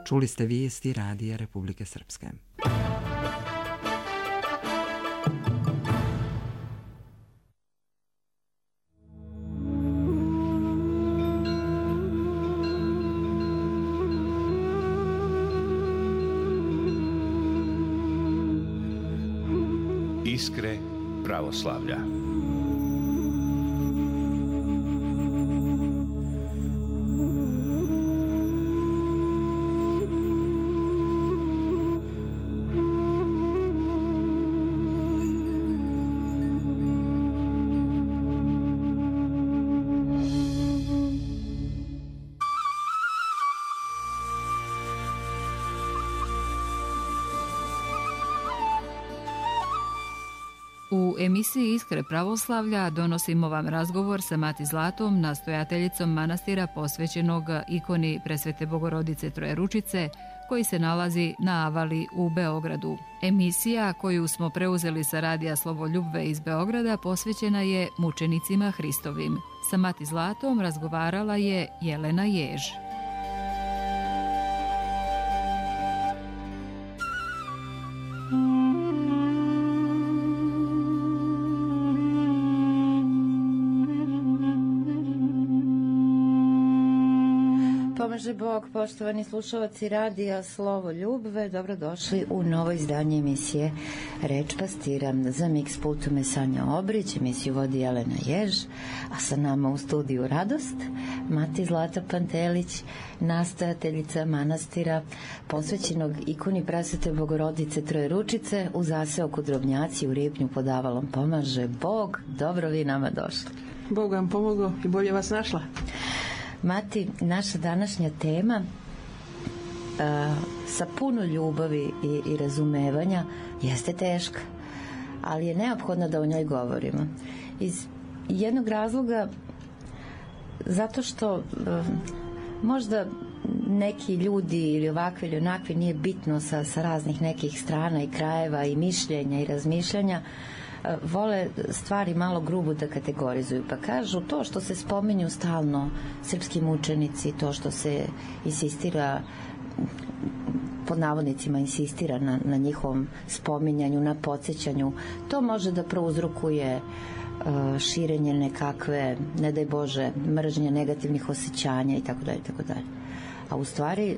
Čuli ste vijesti Radija Republike Srpske. Iskre pravoslavlja. U emisiji Iskre pravoslavlja donosimo vam razgovor sa Mati Zlatom, nastojateljicom manastira posvećenog ikoni Presvete Bogorodice Trojeručice, koji se nalazi na Avali u Beogradu. Emisija koju smo preuzeli sa radija Slovoljubve iz Beograda posvećena je mučenicima Hristovim. Sa Mati Zlatom razgovarala je Jelena Jež. Pomaže Bog, poštovani slušalci radija Slovo Ljubve, dobrodošli u novo izdanje emisije Reč pastira. Za Mix pultom je Sanja Obrić, emisiju vodi Jelena Jež, a sa nama u studiju Radost, Mati Zlata Pantelić, nastojateljica manastira posvećenog ikoni Presvete Bogorodice Trojeručice u zaseoku Drobnjaci u Ripnju pod Avalom. Pomaže Bog, dobro vi nama došli. Bog vam pomogao i bolje vas našla. Mati, naša današnja tema sa puno ljubavi i razumevanja jeste teška, ali je neophodno da o njoj govorimo. Iz jednog razloga, zato što možda neki ljudi ili ovakvi ili onakvi, nije bitno sa raznih nekih strana i krajeva i mišljenja i razmišljanja, vole stvari malo grubo da kategorizuju, pa kažu to što se spominju stalno srpski mučenici, to što se insistira, pod navodnicima insistira na njihovom spominjanju, na podsjećanju, to može da prouzrokuje širenje nekakve, ne daj Bože, mržnje, negativnih osjećanja itd. A u stvari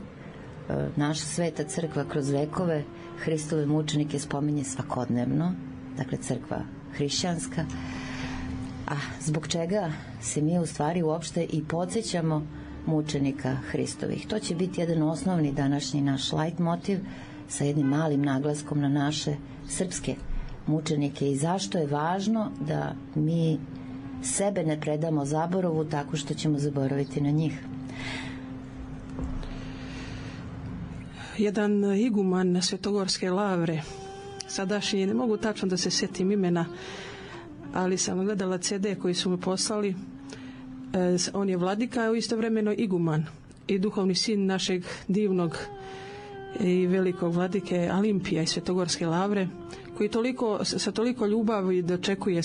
naša sveta crkva kroz vekove Hristove mučenike spominje svakodnevno, dakle crkva hrišćanska, a zbog čega se mi u stvari uopšte i podsjećamo mučenika Hristovih. To će biti jedan osnovni današnji naš light motiv sa jednim malim naglaskom na naše srpske mučenike i zašto je važno da mi sebe ne predamo zaboravu tako što ćemo zaboraviti na njih. Jedan iguman na Svetogorske lavre, sadašnji, ne mogu tačno da se sjetim imena, ali sam gledala CD koji su mi poslali. On je vladika, a istovremeno iguman i duhovni sin našeg divnog i velikog vladike Alimpija iz Svetogorske lavre, koji sa toliko ljubavi dočekuje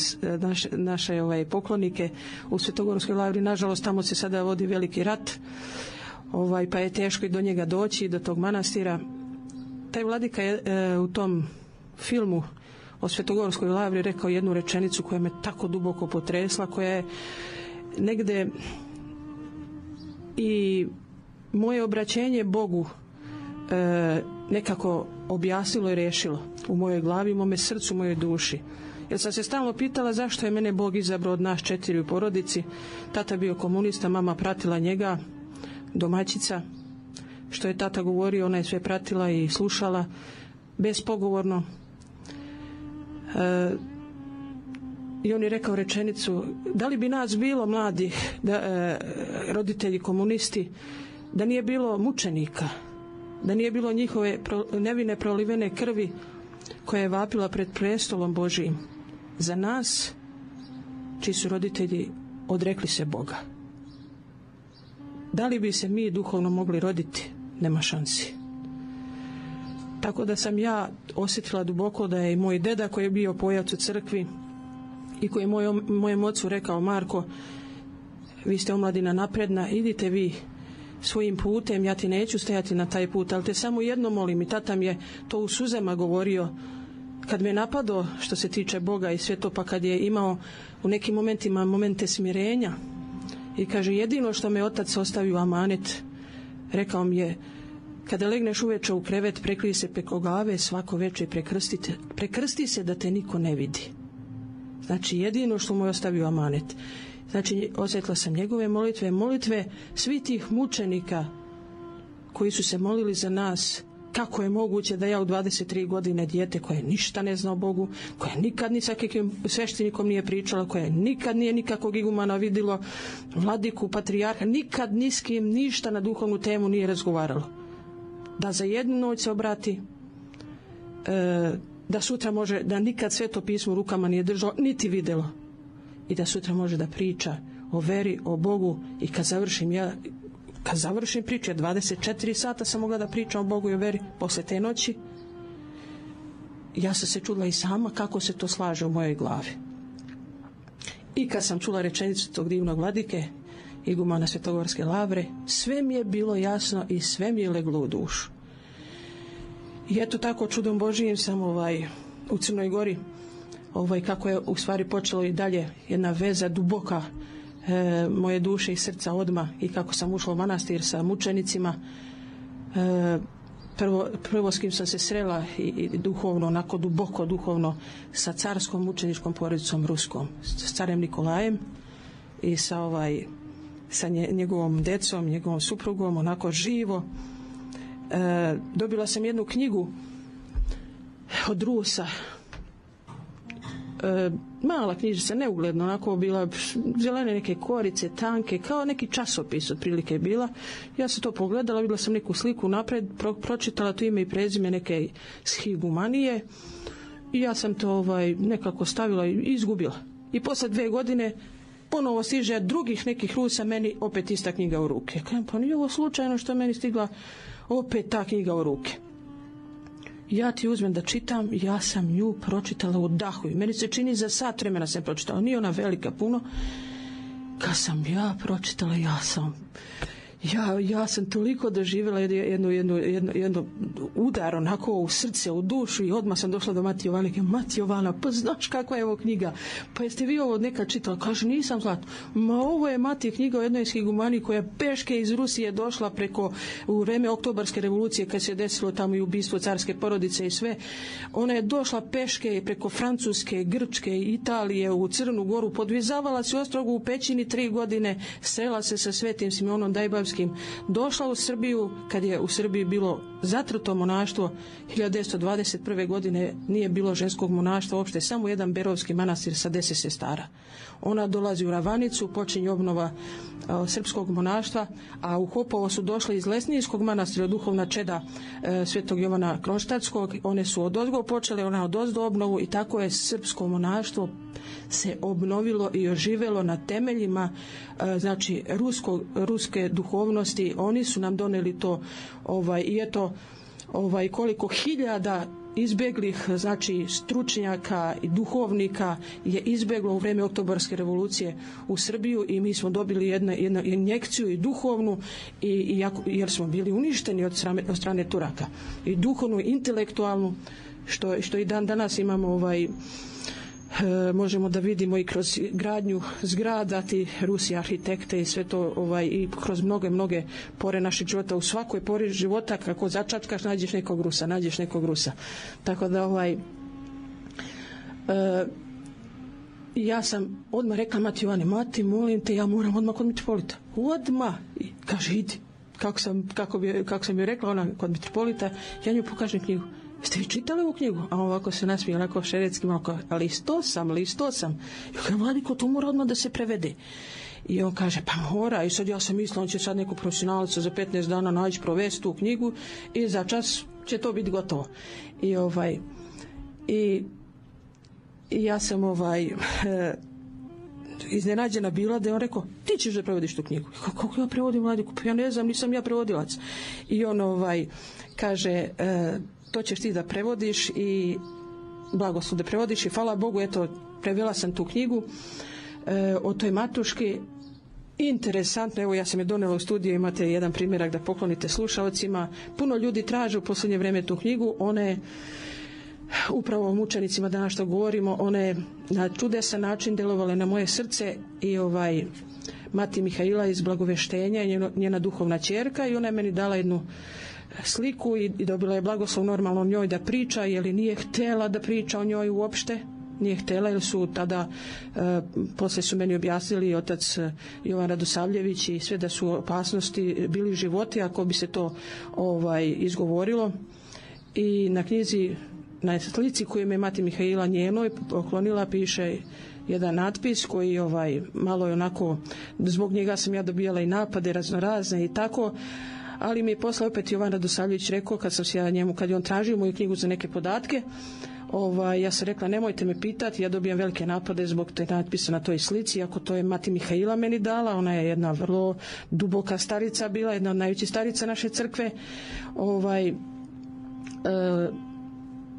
naše poklonike u Svetogorskoj lavri. Nažalost, tamo se sada vodi veliki rat, pa je teško i do njega doći, do tog manastira. Taj vladika je u tom filmu o Svetogorskoj lavri rekao jednu rečenicu koja me tako duboko potresla, koja je negde i moje obraćenje Bogu nekako objasnilo i rešilo u mojoj glavi, u mome srcu, u mojoj duši. Jer sam se stalno pitala zašto je mene Bog izabrao od nas 4 u porodici. Tata bio komunista, mama pratila njega, domaćica. Što je tata govorio, ona je sve pratila i slušala bespogovorno. I on je rekao rečenicu: da li bi nas bilo mladih, roditelji komunisti, da nije bilo mučenika, da nije bilo njihove nevine prolivene krvi koja je vapila pred prestolom Božijim za nas čiji su roditelji odrekli se Boga. Da li bi se mi duhovno mogli roditi? Nema šansi. Tako da sam ja osjetila duboko da je i moj deda, koji je bio pojac u crkvi i koji je mojem ocu rekao: Marko, vi ste omladina napredna, idite vi svojim putem, ja ti neću stajati na taj put, ali te samo jedno molim. I tata mi je to u suzama govorio kad me napadao što se tiče Boga i sve to, pa kad je imao u nekim momentima momente smirenja i kaže jedino što me otac ostavio amanet, rekao mi je kada legneš uveče u krevet prekrij se preko glave svako veče prekrsti se da te niko ne vidi. Znači jedino što mu je ostavio amanet. Znači osjetila sam njegove molitve svih tih mučenika koji su se molili za nas. Kako je moguće da ja u 23 godine dijete koje ništa ne zna o Bogu, koja nikad ni sa kakvim sveštenikom nije pričala, koja nikad nije nikakvog igumana vidjelo, vladiku, patrijarha, nikad ni s kim ništa na duhovnu temu nije razgovaralo. Da za jednu noć se obrati, da sutra može, da nikad Sveto pismo u rukama nije držalo, niti vidjelo. I da sutra može da priča o veri, o Bogu i kad završim priče, 24 sata sam mogla da pričam o Bogu i o veri posle te noći. Ja sam se čula i sama kako se to slaže u mojoj glavi. I kad sam čula rečenicu tog divnog vladike, igumana Svetogorske lavre, sve mi je bilo jasno i sve mi je leglo u dušu. I eto tako čudom Božijim sam u Crnoj Gori, kako je u stvari počelo i dalje jedna veza duboka moje duše i srca odma i kako sam ušla u manastir sa mučenicima. Prvo s kim sam se srela i duhovno, onako duboko duhovno, sa carskom mučeničkom porodicom ruskom, s carem Nikolajem i sa njegovom decom, njegovom suprugom, onako živo. Dobila sam jednu knjigu od Rusa, mala knjižica, neugledno, onako bila zelene neke korice, tanke, kao neki časopis otprilike bila. Ja sam to pogledala, vidjela sam neku sliku napred, pročitala to ime i prezime neke shigumanije i ja sam to nekako stavila i izgubila. I posle 2 godine ponovo stiže drugih nekih Rusa meni opet ista knjiga u ruke. Pa nije ovo slučajno što meni stigla opet ta knjiga u ruke. Ja ti uzmem da čitam, ja sam nju pročitala u dahu i meni se čini za sat vremena sam pročitala, nije ona velika puno. Kad sam ja pročitala, ja sam toliko doživjela jedno udar onako u srce, u dušu i odmah sam došla do Mati Jovanike. Mati Jovana, pa znaš kakva je ovo knjiga? Pa jeste vi ovo nekad čitala? Kaže, nisam Zlato. Ma ovo je Mati knjiga o jednoj shigumani koja peške iz Rusije došla u vreme Oktobarske revolucije kad se desilo tamo i ubistvo carske porodice i sve. Ona je došla peške preko Francuske, Grčke, Italije u Crnu Goru, podvizavala se u Ostrogu u pećini 3 godine, srela se sa Svetim Simonom Dajbavskim, došla u Srbiju kad je u Srbiji bilo zatrto monaštvo. 1921. godine nije bilo ženskog monaštva uopšte, samo jedan berovski manastir sa 10 sestara. Ona dolazi u Ravanicu, počinje obnova srpskog monaštva, a u Hopovo su došle iz Lesnijskog manastira duhovna čeda Svetog Jovana Kronštatskog. One su odozgo počele, ona odozdo obnovu i tako je srpsko monaštvo se obnovilo i oživelo na temeljima znači ruske duhovnosti. Oni su nam doneli to i eto koliko hiljada izbeglih, znači stručnjaka i duhovnika je izbeglo u vreme Oktobarske revolucije u Srbiju i mi smo dobili jednu injekciju i duhovnu jer smo bili uništeni od strane Turaka, i duhovnu, intelektualnu, što i dan danas imamo možemo da vidimo i kroz gradnju zgrada, ti Rusi arhitekte i sve to i kroz mnoge pore našeg života. U svakoj pori života kako začatkaš nađeš nekog Rusa. Tako da ja sam odmah rekla Mati Jovane, Mati, molim te, ja moram odmah kod mitropolita. Odmah. Kaže, idi. Kako sam joj rekla, ona kod mitropolita, ja nju pokažem knjigu. Jeste vi čitali ovu knjigu? A ovako se nasmije, onako šeretski, malo listo sam. I kaže, Vladiko, to mora odmah da se prevede. I on kaže, pa mora. I sad ja sam mislila, on će sad neku profesionalca za 15 dana naći, provesti tu knjigu i za čas će to biti gotovo. I ja sam iznenađena bila da je on rekao, ti ćeš da prevodiš tu knjigu. Kako ja prevodim, Vladiko? Pa ja ne znam, nisam ja prevodilac. I on kaže, to ćeš ti da prevodiš i blagoslov da prevodiš i hvala Bogu, eto, prevela sam tu knjigu o toj Matuški Interesantno, evo ja sam je donela u studiju, imate jedan primjerak da poklonite slušalcima. Puno ljudi traže u posljednje vrijeme tu knjigu, ona je upravo o mučenicima danas što govorimo, one je na čudesan način delovale na moje srce i Mati Mihaila iz Blagoveštenja, njena duhovna ćerka, i ona je meni dala jednu sliku i dobila je blagoslov normalno o njoj da priča, jer nije htjela da priča o njoj uopšte. Nije htjela, jer su tada poslije su meni objasnili otac Jovan Radosavljević i sve da su opasnosti bili životi ako bi se to izgovorilo. I na knjizi, na slici koju je Mati Mihaila njenoj poklonila, piše jedan natpis koji malo je onako, zbog njega sam ja dobijala i napade raznorazne i tako, ali mi je posle opet Jovan Radosavljević rekao, kad sam se ja njemu, kad je on tražio moju knjigu za neke podatke, ja sam rekla nemojte me pitati, ja dobijam velike napade zbog te natpisa na toj slici, ako to je Mati Mihaila meni dala, ona je jedna vrlo duboka starica bila, jedna od najvećih starica naše crkve.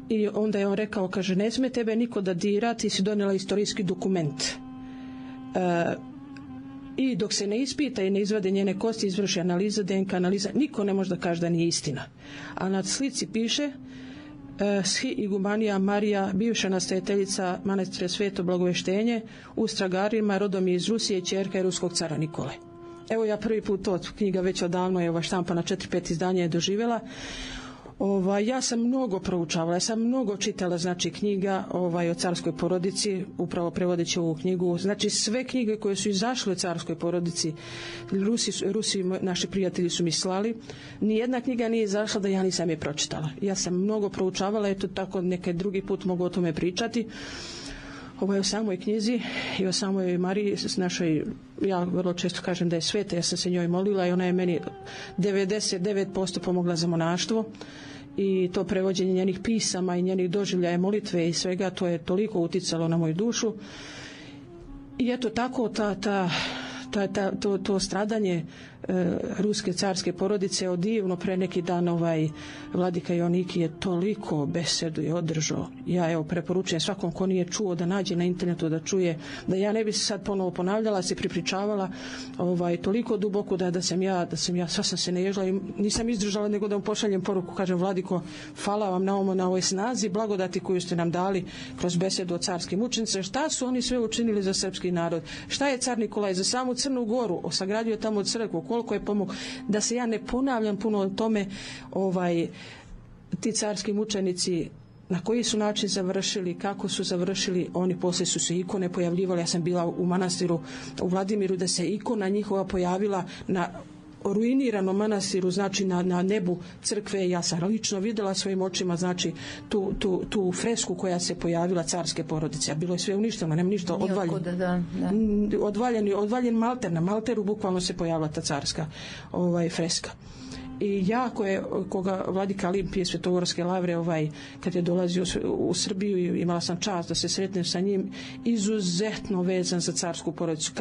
I onda je on rekao, kaže, ne smije tebe niko da dira, ti si donijela istorijski dokument. I dok se ne ispita i ne izvade njene kosti, izvrši analiza, DNK analiza, niko ne može da kaže da nije istina. A na slici piše Shi Igumanija Marija, bivša nastojateljica manastira Sveto Blagoveštenje u Stragarima, rodom je iz Rusije, ćerka je ruskog cara Nikole. Evo ja prvi put to, knjiga već odavno je štampana 4-5 izdanja je doživjela. Ja sam mnogo proučavala, ja sam mnogo čitala knjiga o carskoj porodici, upravo prevodeći ovu knjigu, sve knjige koje su izašle o carskoj porodici, Rusi naši prijatelji su mi slali, nijedna knjiga nije izašla da ja nisam je pročitala. Ja sam mnogo proučavala, eto tako nekaj drugi put mogu o tome pričati. O samoj knjizi i o samoj Mariji našoj, ja vrlo često kažem da je sveta, ja sam se njoj molila i ona je meni 99% pomogla za monaštvo i to prevođenje njenih pisama i njenih doživljaja molitve i svega, to je toliko uticalo na moju dušu. I eto tako to stradanje ruske carske porodice divno, pre neki dan vladika Joaniki je toliko besedu i održao. Ja evo preporučujem svakom ko nije čuo da nađe na internetu da čuje, da ja ne bi se sad ponovo ponavljala, se pripričavala toliko duboko da sam ja sva sam se naježila i nisam izdržala nego da mu pošaljem poruku, kažem, Vladiko, hvala vam na ovoj snazi, blagodati koju ste nam dali kroz besedu o carskim mučenicima. Šta su oni sve učinili za srpski narod? Šta je car Nikolaj za samu Crnu Goru? Sagradio tamo crkvu, koliko je pomogao, da se ja ne ponavljam puno o tome, ti carski mučenici na koji su način završili, kako su završili, oni poslije su se ikone pojavljivali. Ja sam bila u manastiru u Vladimiru da se ikona njihova pojavila na ruiniranom manastiru, na nebu crkve. Ja sam lično vidjela svojim očima tu fresku koja se pojavila carske porodice, a bilo je sve uništeno, nema ništa, odvaljen malter, na malteru bukvalno se pojavila ta carska freska. I jako je, koga vladika Limpije Svetogorske lavre, kad je dolazio u Srbiju i imala sam čast da se sretnem sa njim, izuzetno vezan za carsku porodicu.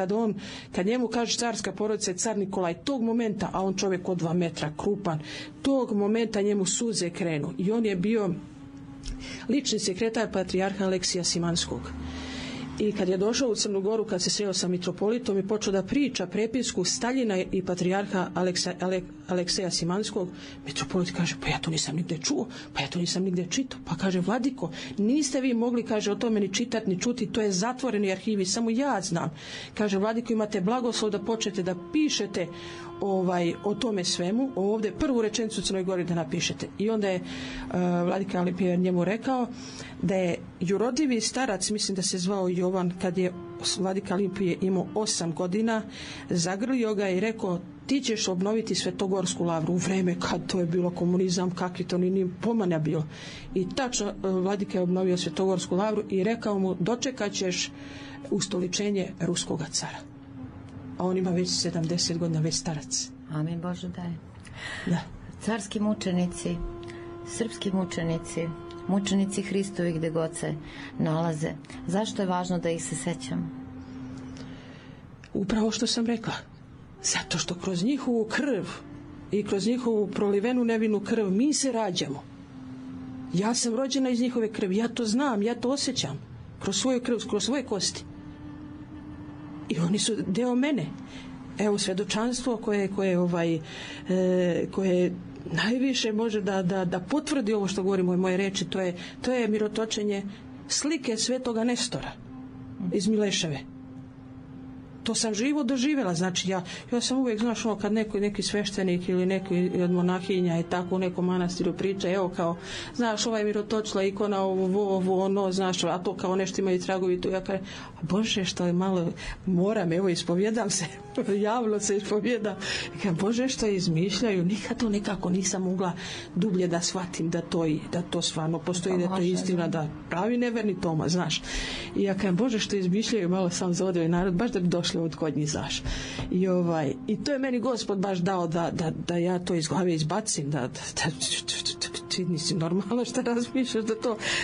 Kad njemu kaže carska porodica je car Nikolaj, tog momenta, a on čovjek od 2 metra, krupan, tog momenta njemu suze krenu. I on je bio lični sekretar patrijarha Aleksija Simanskog. I kad je došao u Crnu Goru, kad se sreo sa mitropolitom i počeo da priča prepisku Staljina i patrijarha Alekseja Simanskog, mitropolit kaže, pa ja to nisam nigde čuo, pa ja to nisam nigde čitao. Pa kaže, Vladiko, niste vi mogli, kaže, o tome ni čitati, ni čuti, to je zatvoreni arhivi, samo ja znam. Kaže, Vladiko, imate blagoslov da počnete da pišete o tome svemu, ovdje prvu rečenicu u Crnoj Gori da napišete. I onda je vladika Limpije njemu rekao da je jurodljivi starac, mislim da se zvao Jovan, kad je vladika Limpije imao 8 godina, zagrlio ga i rekao, ti ćeš obnoviti Svetogorsku lavru u vreme kad to je bilo komunizam, kakvi to ni pomanja bilo. I tačno vladika je obnovio Svetogorsku lavru i rekao mu, dočekat ćeš ustoličenje ruskoga cara. A on ima već 70 godina, već starac. Amin Bože daj. Da. Carski mučenici, srpski mučenici, mučenici Hristovi gde god se nalaze. Zašto je važno da ih se sećam? Upravo što sam rekla. Zato što kroz njihovu krv i kroz njihovu prolivenu nevinu krv mi se rađamo. Ja sam rođena iz njihove krvi, ja to znam, ja to osjećam. Kroz svoju krv, kroz svoje kosti. I oni su deo mene. evo svjedočanstvo koje najviše može da potvrdi ovo što govorimo u moje reči, to je mirotočenje slike Svetoga Nestora iz Mileševe. To sam živo doživjela, znači ja sam uvijek, znaš, kad neki sveštenik ili neki od monahinja i tako u nekom manastiru priča, evo kao, znaš, ovaj mirotočila ikona, ovo, ono, znaš, a to kao nešto imaju tragovi tu, ja kažem, Bože, što je malo, moram, evo, ispovjedam se, javno se ispovjedam, Bože, što izmišljaju, nikad to nekako nisam mogla dublje da shvatim da to stvarno postoji, da to je istina, da pravi neverni Toma, znaš. I ja kažem, Bože, što izmišljaju, malo sam za ovaj narod, baš da bi došli od kod njih, znaš. I to je meni Gospod baš dao da ja to iz glave izbacim, da ti nisi normalno što razmišljaš,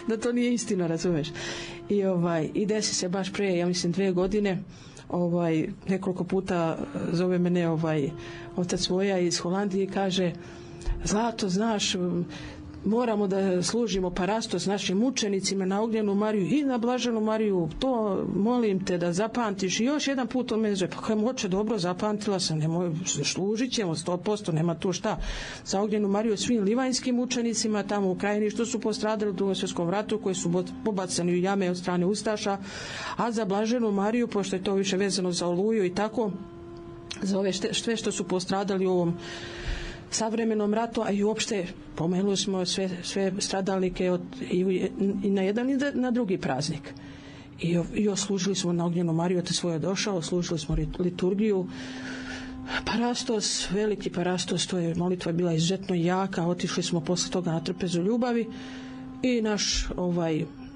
da to nije istina, razumeš. I desi se baš pre, ja mislim 2 godine, nekoliko puta zove mene otac Voja iz Holandije i kaže, Zlato, znaš, moramo da služimo parastos našim učenicima na Ognjenu Mariju i na Blaženu Mariju, to molim te da zapamtiš. I još jedan put on me zove, pa kajem, oče, dobro, zapamtila sam, služit ćemo 100%, nema tu šta. Za Ognjenu Mariju svim livanjskim učenicima tamo u Krajini što su postradali u Drugom svjetskom ratu, koji su pobacani u jame od strane ustaša, a za Blaženu Mariju, pošto je to više vezano za Oluju i tako, za ove sve što su postradali u ovom savremenom ratu, a i uopšte pomenuli smo sve stradalnike i na jedan i na drugi praznik. I oslužili smo na Ognjenu Mariju, otac Svoja došao, oslužili smo liturgiju. Parastos, veliki parastos, to je molitva bila izuzetno jaka, otišli smo posle toga na trpezu ljubavi i naš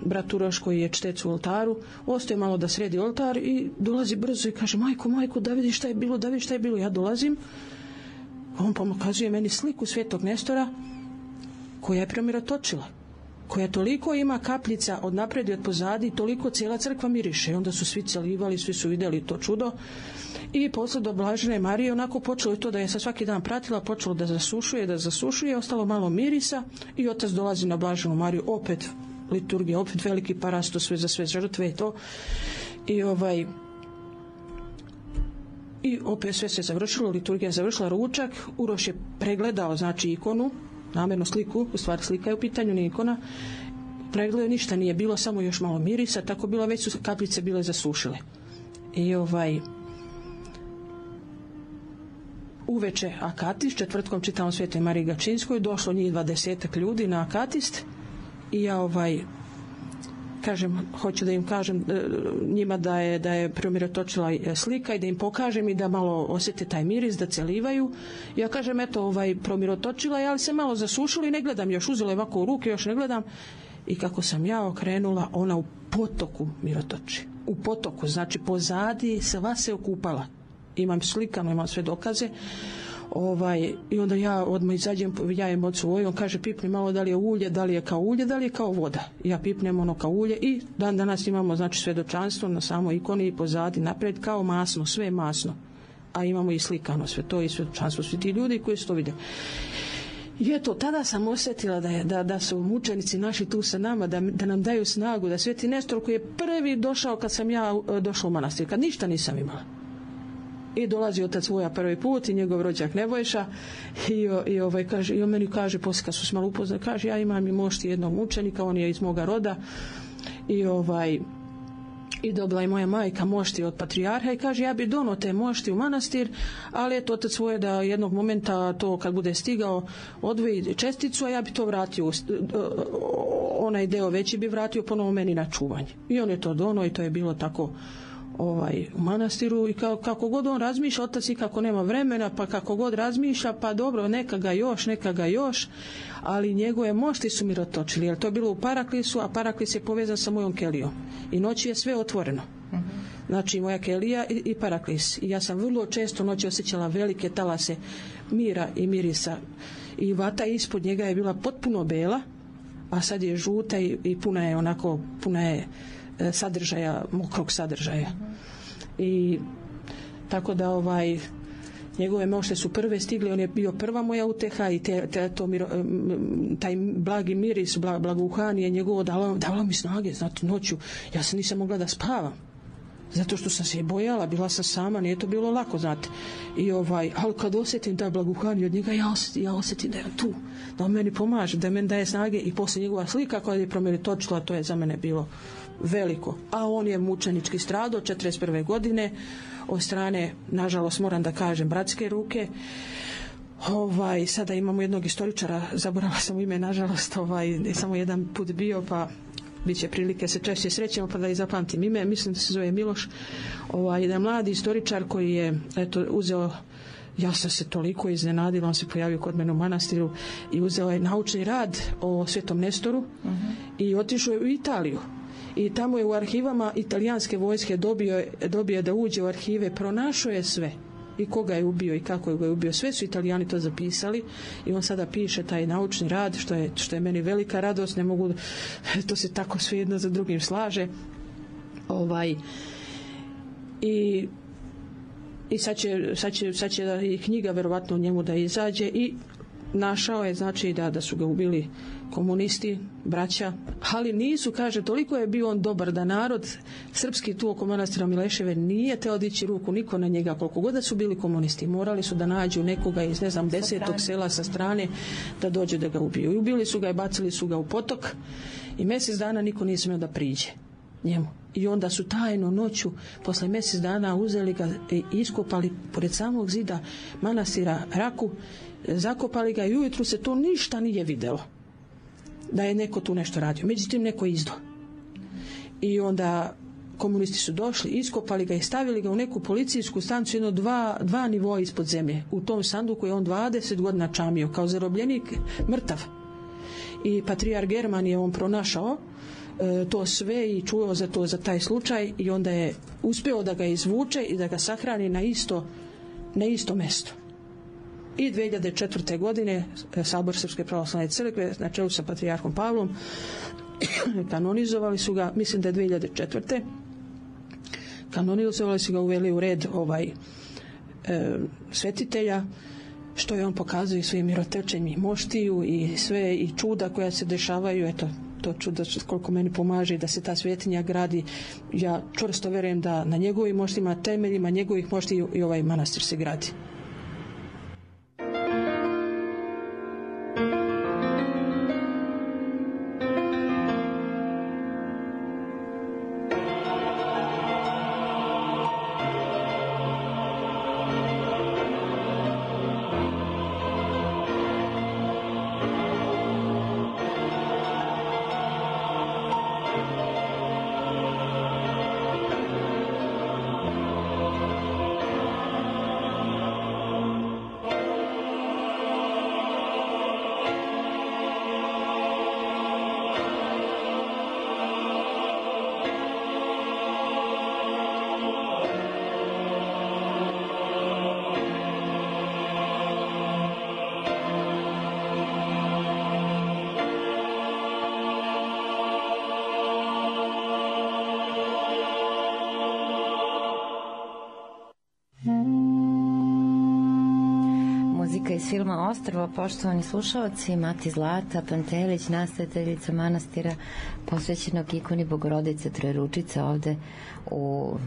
brat Uroš koji je čtec u oltaru, ostaje malo da sredi oltar i dolazi brzo i kaže, majko, da vidiš šta je bilo, ja dolazim. On pokazuje meni sliku Svetog Nestora koja je premirotočila, koja toliko ima kapljica od napred i od pozadi, toliko cijela crkva miriše. I onda su svi celivali, svi su vidjeli to čudo. I posle do Blažene Marije onako počelo je to da je sa svaki dan pratila, počelo da zasušuje, ostalo malo mirisa i otac dolazi na Blaženu Mariju, opet liturgija, opet veliki parastos, sve za sve žrtve i to. I opet sve se završilo, liturgija završila, ručak, Uroš je pregledao, znači, ikonu, namjerno sliku, u stvari slika je u pitanju, nije ikona, pregledao, ništa nije bilo, samo još malo mirisa, tako bilo, već su kapljice bile zasušile. I uveče akatist, četvrtkom čitamo Svetoj Mariji Gačinskoj, došlo njih 20 ljudi na akatist i ja kažem, hoću da im kažem njima da je premirotočila slika i da im pokažem i da malo osjete taj miris, da celivaju. Ja kažem, eto, premirotočila je, ali se malo zasušila i ne gledam još, uzela je ovako u ruke, još ne gledam. I kako sam ja okrenula, ona u potoku mirotoči. U potoku, znači pozadi sva se okupala. Imam slikano, imam sve dokaze. I onda ja odmah izađem, jajem ocu Voju, on kaže, pipni malo da li je ulje, da li je kao voda. Ja pipnem ono kao ulje i dan danas imamo, znači, svjedočanstvo na samoj ikoni i pozadi napred kao masno, sve masno. A imamo i slikano sve to i svjedočanstvo, svi ti ljudi koji su to vidjeli. I eto, tada sam osjetila da su mučenici naši tu sa nama, da nam daju snagu, da Sveti Nestor koji je prvi došao kad sam ja došla u manastir, kad ništa nisam imala. I dolazi otac Voja prvi put i njegov rođak Nebojša i on meni kaže, poslije kad su se malo upoznali, kaže, ja imam i mošti jednog mučenika, on je iz moga roda i dobila je moja majka mošti od patrijarha i kaže, ja bi donio te mošti u manastir, ali eto, otac Voja da jednog momenta to kad bude stigao odvoji česticu, a ja bi to vratio, onaj deo veći bi vratio ponovo meni na čuvanje. I on je to donio i to je bilo tako u manastiru i kako god on razmišlja, otac i kako nema vremena, pa kako god razmišlja, pa dobro, neka ga još, ali njegove mošti su mirotočili, jer to je bilo u Paraklisu, a Paraklis je povezan sa mojom kelijom i noći je sve otvoreno. Znači moja kelija i Paraklis. I ja sam vrlo često noći osjećala velike talase mira i mirisa i vata ispod njega je bila potpuno bela, a sad je žuta i puna je sadržaja, mokrog sadržaja. I tako da njegove mošte su prve stigli, on je bio prva moja uteha i taj blagi miris, blaguhanje njegovo dalo mi snage, znate, noću ja se nisam mogla da spavam. zato što sam se i bojala, bila sam sama, nije to bilo lako, znate. Ali kad osjetim taj blagohanje od njega, ja osjetim da je tu, da on meni pomaže, da meni daje snage, i poslije njegova slika koja je promenitočila, to je za mene bilo veliko. A on je mučenički stradao 41. godine od strane, nažalost moram da kažem, bratske ruke. Sada imamo jednog istoričara, zaboravila sam ime, nažalost, samo jedan put bio, pa bit će prilike se češće srećemo, pa da i zapamtim ime. Mislim da se zove Miloš. Jedan mladi istoričar koji je uzeo, ja sam se toliko iznenadila, on se pojavio kod mene u manastiru i uzeo je naučni rad o Svetom Nestoru i otišao je u Italiju. I tamo je u arhivama italijanske vojske dobio da uđe u arhive, pronašao je sve. I koga je ubio i kako ga je ubio. Sve su Italijani to zapisali i on sada piše taj naučni rad, što je meni velika radost, ne mogu, to se tako sve jedno za drugim slaže. I sad će i knjiga verovatno u njemu da izađe, i našao je, znači, da su ga ubili komunisti, braća, ali nisu, kaže, toliko je bio on dobar da narod srpski tu oko manastira Mileševe nije teo dići ruku niko na njega, koliko god da su bili komunisti, morali su da nađu nekoga iz 10. sela sa strane da dođe da ga ubiju. I ubili su ga i bacili su ga u potok i mjesec dana niko nije smio da priđe njemu. I onda su tajno noću, posle mjesec dana, uzeli ga i iskopali pored samog zida manastira Raku, zakopali ga i ujutru se to ništa nije videlo da je neko tu nešto radio. Međutim, neko je izdao. I onda komunisti su došli, iskopali ga i stavili ga u neku policijsku stanicu, jedno dva nivoa ispod zemlje. U tom sanduku je on 20 godina čamio, kao zarobljenik, mrtav. I patrijar German je on pronašao to sve i čuo za taj slučaj, i onda je uspeo da ga izvuče i da ga sahrani na isto mesto. I 2004. godine Sabor Srpske pravoslavne crkve na čelu sa patrijarhom Pavlom kanonizovali su ga, mislim da je 2004. Kanonizovali su ga, uveli u red svetitelja, što je on pokazuje svojim mirotečenjem moštiju i sve i čuda koja se dešavaju. Eto, to čudo koliko meni pomaže da se ta svetinja gradi. Ja čvrsto verujem da na njegovim moštima, temeljima njegovih moštiju i ovaj manastir se gradi. Iz filma Ostrvo, poštovani slušalci, Mati Zlata Pantelić, nastojateljica manastira posvećenog ikoni Bogorodice Trojeručice ovde u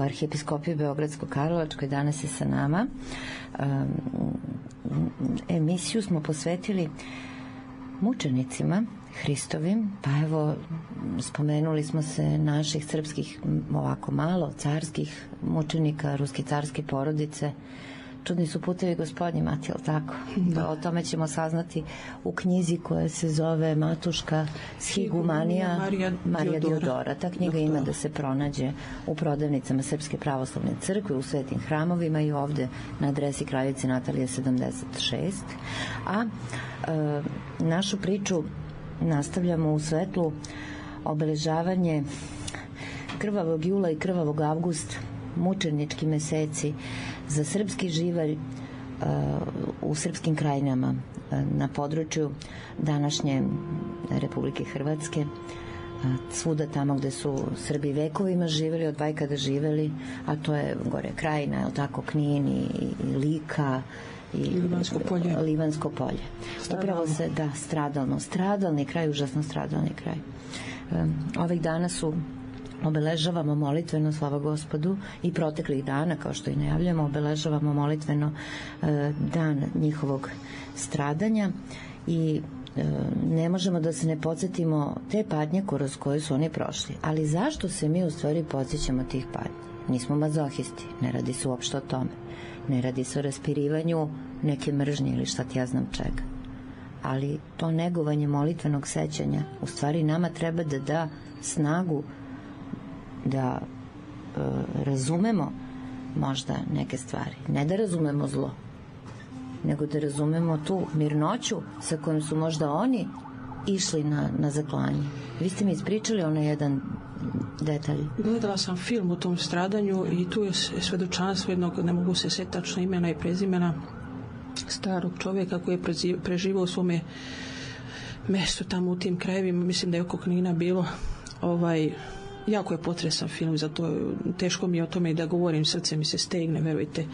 Arhiepiskopiji Beogradsko-Karlovačkoj, danas je sa nama. Emisiju smo posvetili mučenicima Hristovim, pa evo spomenuli smo se naših srpskih, ovako malo, carskih mučenika, ruske carske porodice. Čudni su putevi Gospodnji, Mati, jel tako? Da. O tome ćemo saznati u knjizi koja se zove Matuška Shigumanija Marija Diodora. Ta knjiga ima da se pronađe u prodavnicama Srpske pravoslavne crkve, u svetim hramovima i ovde na adresi Kraljice Natalije 76. A našu priču nastavljamo u svetlu obeležavanje krvavog jula i krvavog avgusta, mučenički meseci za srpski živalj u srpskim krajinama na području današnje Republike Hrvatske, svuda tamo gde su Srbi vekovima živeli, od vajkada živeli, a to je gore Krajina, je tako, Knin i Lika i Livansko polje. Upravo se, stradalni kraj, užasno stradalni kraj. Ovih dana su obeležavamo molitveno, slava Gospodu, i proteklih dana, kao što i najavljamo, obeležavamo molitveno dan njihovog stradanja i ne možemo da se ne podsjetimo te patnje kroz koje su oni prošli. Ali zašto se mi u stvari podsjećamo tih patnji? Nismo mazohisti, ne radi se uopšte o tome. Ne radi se o raspirivanju neke mržnje ili šta ti ja znam čega. Ali to negovanje molitvenog sećanja u stvari nama treba da da snagu da razumemo možda neke stvari. Ne da razumemo zlo, nego da razumemo tu mirnoću sa kojom su možda oni išli na zaklanje. Vi ste mi ispričali onaj jedan detalj. Gledala sam film o tom stradanju i tu je svedočanstvo jednog, ne mogu se setiti tačno imena i prezimena, starog čovjeka koji je preživao u svome mestu tamo u tim krajevima, mislim da je oko Knina bilo. Jako je potresan film, zato teško mi je o tome i da govorim, srce mi se stegne, verujte.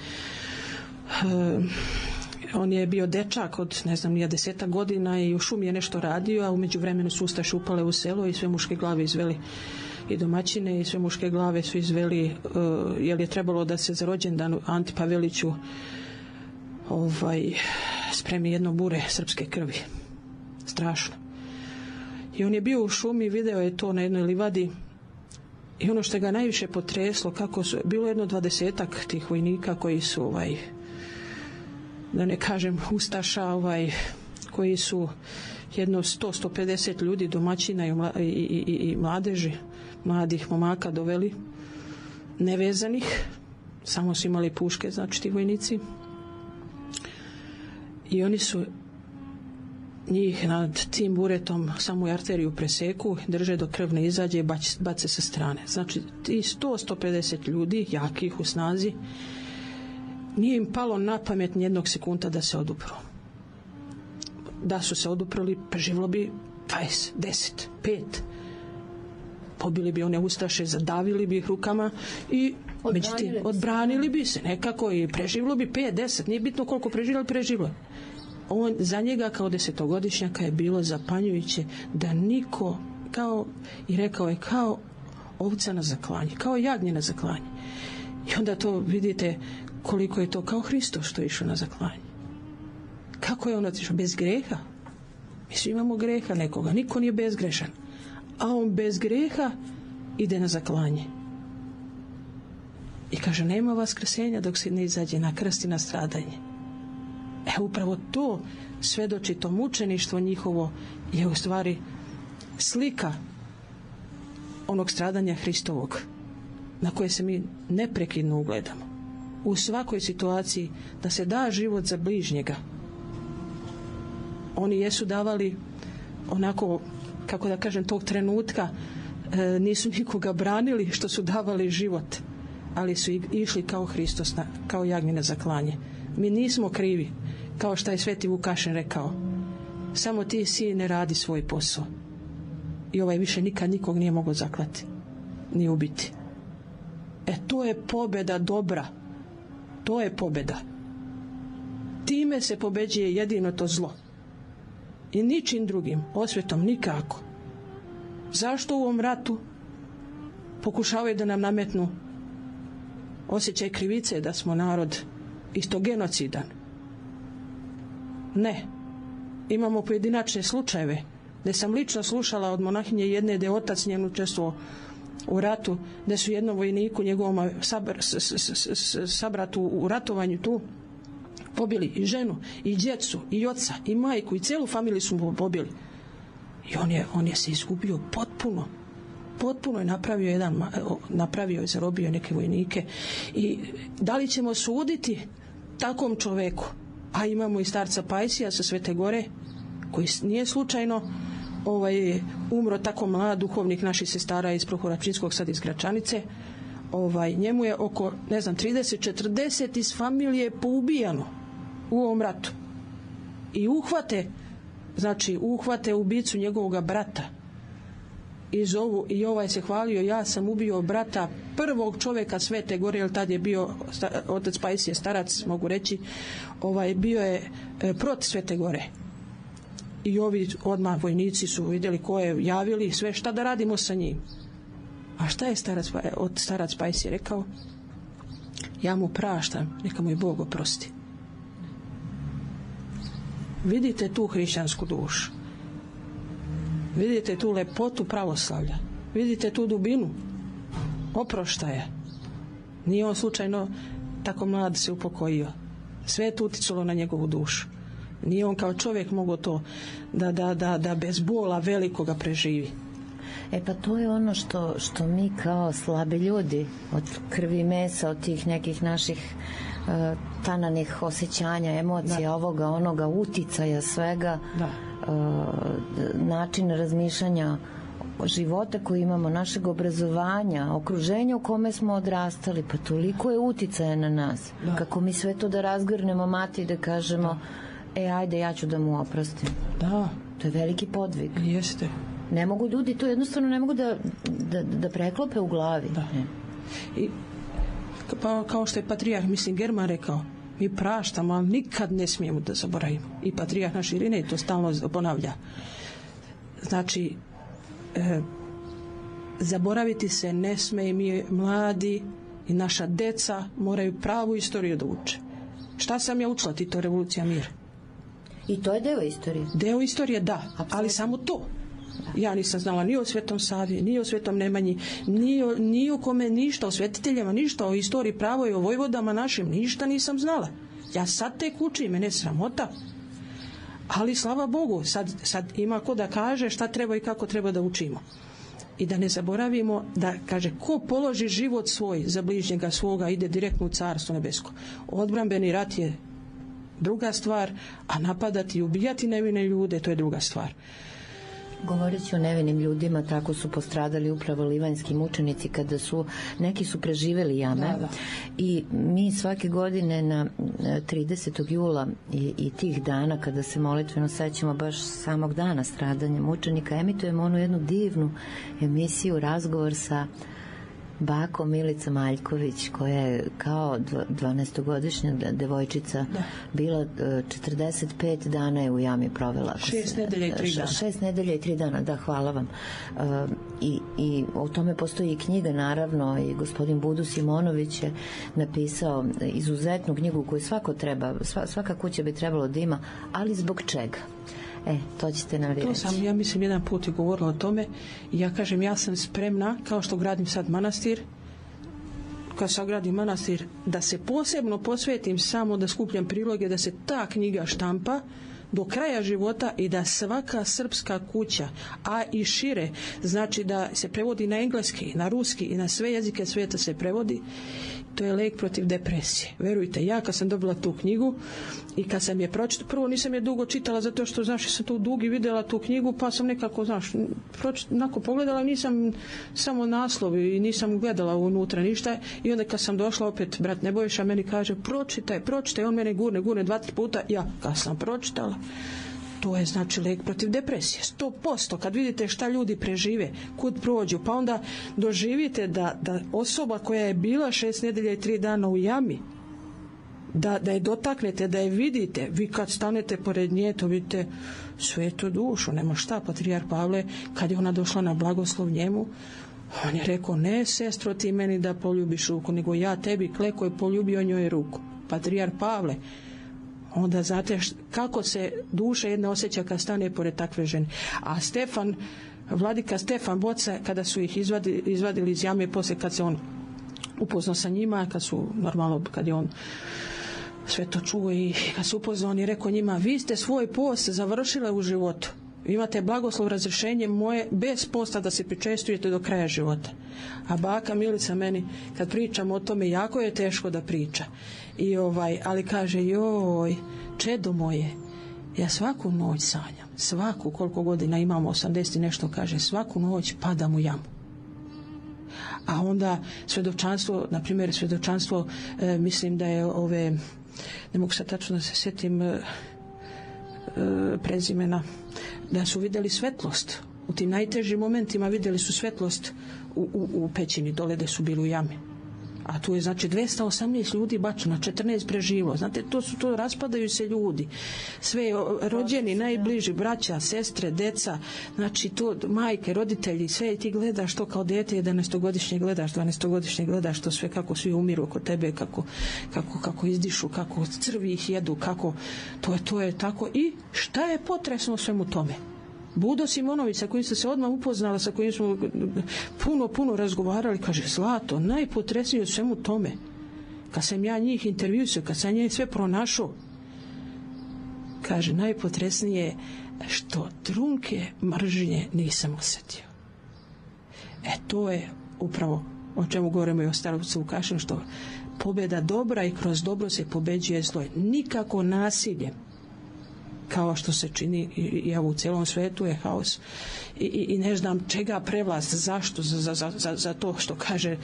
On je bio dečak od, ne znam, nije 10 godina i u šumi je nešto radio, a umeđu vremenu su ustaše upale u selo i sve muške glave izveli, i domaćine i sve muške glave su izveli, jer je trebalo da se za rođendan Anti Paveliću spremi jedno bure srpske krvi. Strašno. I on je bio u šumi, video je to na jednoj livadi i ono što ga najviše potreslo, kako su, bilo jedno 20-ak tih vojnika koji su da ne kažem ustaša, koji su jedno 100-150 ljudi, domaćina i mladeži, mladih momaka doveli nevezanih, samo su imali puške, znači ti vojnici, i oni su njih nad tim buretom samu arteriju preseku, drže dok krv ne izađe i bace sa strane. Znači ti 100-150 ljudi, jakih u snazi, nije im palo na pamet nijednog sekunda da se odupru. Da su se oduprali, preživlo bi 20, 10, 5. Pobili bi one ustaše, zadavili bi ih rukama i odbranili bi se nekako i preživlo bi 5, 10, nije bitno koliko preživlo. Za njega kao 10-godišnjaka je bilo zapanjujuće da niko, i rekao je, kao ovca na zaklanje, kao jagnje na zaklanje. I onda to vidite koliko je to kao Hristo što je išao na zaklanje. Kako je on otišao? Bez greha. Mi svi imamo greha nekoga, niko nije bezgrešan. A on bez greha ide na zaklanje. I kaže, nema vaskrsenja dok se ne izađe na krst i na stradanje. Upravo to svedoči, to mučeništvo njihovo je u stvari slika onog stradanja Hristovog na koje se mi neprekidno ugledamo. U svakoj situaciji da se da život za bližnjega. Oni jesu davali onako, kako da kažem, tog trenutka nisu nikoga branili što su davali život, ali su išli kao Hristos, kao jagnje na zaklanje. Mi nismo krivi, kao što je Sveti Vukašin rekao, samo ti sine radi svoj posao. I više nikad nikog nije mogao zaklati ni ubiti. To je pobjeda dobra, to je pobjeda. Time se pobeđuje jedino to zlo i ničim drugim, osvetom nikako. Zašto u ovom ratu pokušavaju da nam nametnu osjećaj krivice da smo narod isto genocidan? Ne. Imamo pojedinačne slučajeve gde sam lično slušala od monahinje jedne da je otac njen učestvovao u ratu, da su jednom vojniku, njegovom sabratu u ratovanju tu, pobili i ženu, i djecu, i oca, i majku, i celu familiju su mu pobili. I on je se izgubio potpuno je napravio je, zarobio neke vojnike. I da li ćemo suditi takvom čoveku? A imamo i starca Pajsija sa Svete Gore, koji nije slučajno umro tako mlad, duhovnik naših sestara iz Prohoračinskog, sad iz Gračanice. Njemu je oko, 30-40 iz familije poubijano u ovom ratu. I uhvate ubicu njegovog brata i zovu, i se hvalio, ja sam ubio brata prvog čovjeka Svete Gore, jer tad je bio otac Pajsije starac, mogu reći, bio je protiv Svete Gore. I ovi odmah vojnici su vidjeli ko je, javili sve šta da radimo sa njim. A šta je starac Pajs je rekao? Ja mu praštam, neka mu je Bog oprosti. Vidite tu hrišćansku dušu. Vidite tu lepotu pravoslavlja. Vidite tu dubinu oproštaja. Nije on slučajno tako mlad se upokojio. Sve je tu uticalo na njegovu dušu. Nije on kao čovjek mogao to da bez bola velikoga preživi. Pa to je ono što mi kao slabi ljudi od krvi i mesa, od tih nekih naših tananih osjećanja, emocija, ovoga, onoga, uticaja svega, način razmišljanja života koji imamo, našeg obrazovanja, okruženja u kome smo odrastali, pa toliko je uticaja na nas. Kako mi sve to da razgrnemo, mati, i da kažemo ajde, ja ću da mu oprostim. To je veliki podvig. Jeste. Ne mogu ljudi, to jednostavno ne mogu da preklope u glavi. I pa kao što je patrijarh, mislim, German rekao, mi praštamo, ali nikad ne smijemo da zaboravimo. I patrijarh naš Irinej to stalno ponavlja. Znači, zaboraviti se ne sme, i mi mladi i naša deca moraju pravu istoriju da uče. Šta sam ja učila, Tito, revolucija, mir? I to je deo istorije. Deo istorije, da, ali samo to. Ja nisam znala ni o Svetom Savi, ni o Svetom Nemanji, ni o kome ništa, o svetiteljima ništa, o istoriji pravo i o vojvodama našim, ništa nisam znala. Ja sad tek učim, mene sramota. Ali slava Bogu, sad ima ko da kaže šta treba i kako treba da učimo. I da ne zaboravimo da, kaže, ko položi život svoj za bližnjega svoga ide direktno u Carstvo nebesko. Odbrambeni rat je druga stvar, a napadati i ubijati nevine ljude, to je druga stvar. Govoreći o nevinim ljudima, tako su postradali upravo livanjski mučenici kada neki su preživeli jame. I mi svake godine na 30. jula i tih dana kada se molitveno sećamo baš samog dana stradanja mučenika, emitujemo onu jednu divnu emisiju, razgovor sa bakom Milicom Aljković, koja je kao 12-godišnja devojčica bila 45 dana je u jami provela. 6 nedelja i 3 dana. 6 nedelja i 3 dana, da, hvala vam. I o tome postoji i knjiga, naravno, i gospodin Budu Simonović je napisao izuzetnu knjigu koju svaka kuća bi trebalo da ima, ali zbog čega? To ćete nam reći. To sam, ja mislim, jedan put i govorila o tome i ja kažem, ja sam spremna, kao što gradim sad manastir, kad sagradim manastir, da se posebno posvetim samo da skupljam priloge, da se ta knjiga štampa do kraja života i da svaka srpska kuća, a i šire, znači da se prevodi na engleski, na ruski i na sve jezike svijeta se prevodi. To je lek protiv depresije. Verujte, ja kad sam dobila tu knjigu i kad sam je pročitala, prvo nisam je dugo čitala zato što, znaš, sam tu dugi vidjela tu knjigu, pa sam nekako, znaš, onako pogledala, nisam samo naslov i nisam gledala unutra ništa, i onda kad sam došla opet, brat Nebojša meni kaže, pročitaj, on mene gurne 2-3 puta, ja kad sam pročitala, to je znači lek protiv depresije, 100%. Kad vidite šta ljudi prežive, kud prođu, pa onda doživite da osoba koja je bila 6 nedelja i 3 dana u jami, da je dotaknete, da je vidite, vi kad stanete pored nje, to vidite svetu dušu, nema šta. Patrijarh Pavle, kad je ona došla na blagoslov njemu, on je rekao, ne sestro ti meni da poljubiš ruku, nego ja tebi, kleko je poljubio njoj ruku. Patrijarh Pavle. Onda znate kako se duša jedna osjeća kad stane pored takve žene. A vladika Stefan Boca, kada su ih izvadili iz jame, poslije kad se on upoznao sa njima, kad je on sve to čuo i kad se upoznao, on je rekao njima, vi ste svoj post završile u životu. Vi imate blagoslov, razrješenje moje bez posta da se pričestujete do kraja života. A baka Milica meni, kad pričam o tome, jako je teško da priča. Ali kaže, joj, čedo moje, ja svaku noć sanjam, svaku, koliko godina imamo, 80 i nešto, kaže, svaku noć padam u jamu. A onda svjedočanstvo, na primjer svjedočanstvo, mislim da je ne mogu sad tačno da se sjetim prezimena, da su vidjeli svetlost. U tim najtežim momentima vidjeli su svetlost u pećini, dole gde su bili u jami. A tu je znači 218 ljudi bačeno, 14 preživo. Znate, to raspadaju se ljudi. Sve rođeni, najbliži, braća, sestre, deca, znači to majke, roditelji, sve ti gledaš to kao dete, 11-godišnje gledaš, 12-godišnje gledaš to sve kako svi umiru oko tebe, kako izdišu, kako crvi ih jedu, kako to je tako. I šta je potresno svemu tome? Budo Simonović, sa kojim sam se odmah upoznala, sa kojim smo puno razgovarali, kaže, Zlato, najpotresnije u svemu tome, kad sam ja njih intervjuisao, kad sam njih sve pronašao, kaže, najpotresnije je što trunke mržnje nisam osjetio. To je upravo o čemu govorimo i o Starovcu Vukašinu, što pobjeda dobra i kroz dobro se pobeđuje zlo. Nikako nasiljem, kao što se čini i u cijelom svetu je haos i ne znam čega prevlast, zašto, za to što kaže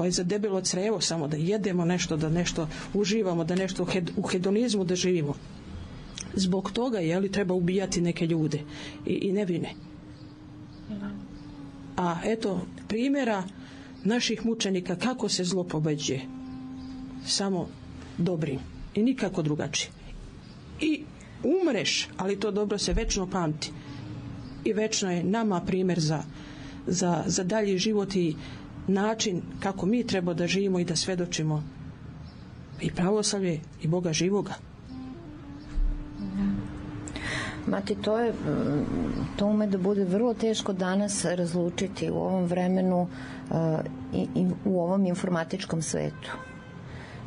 za debelo crevo, samo da jedemo nešto, da nešto uživamo, da nešto u hedonizmu da živimo. Zbog toga treba ubijati neke ljude i nevine. A eto primjera naših mučenika kako se zlo pobeđuje, samo dobrim i nikako drugačije. I umreš, ali to dobro se večno pamti i večno je nama primjer za dalji život i način kako mi treba da živimo i da svedočimo i pravoslavlje i Boga živoga. Mati, to ume da bude vrlo teško danas razlučiti u ovom vremenu i u ovom informatičkom svetu.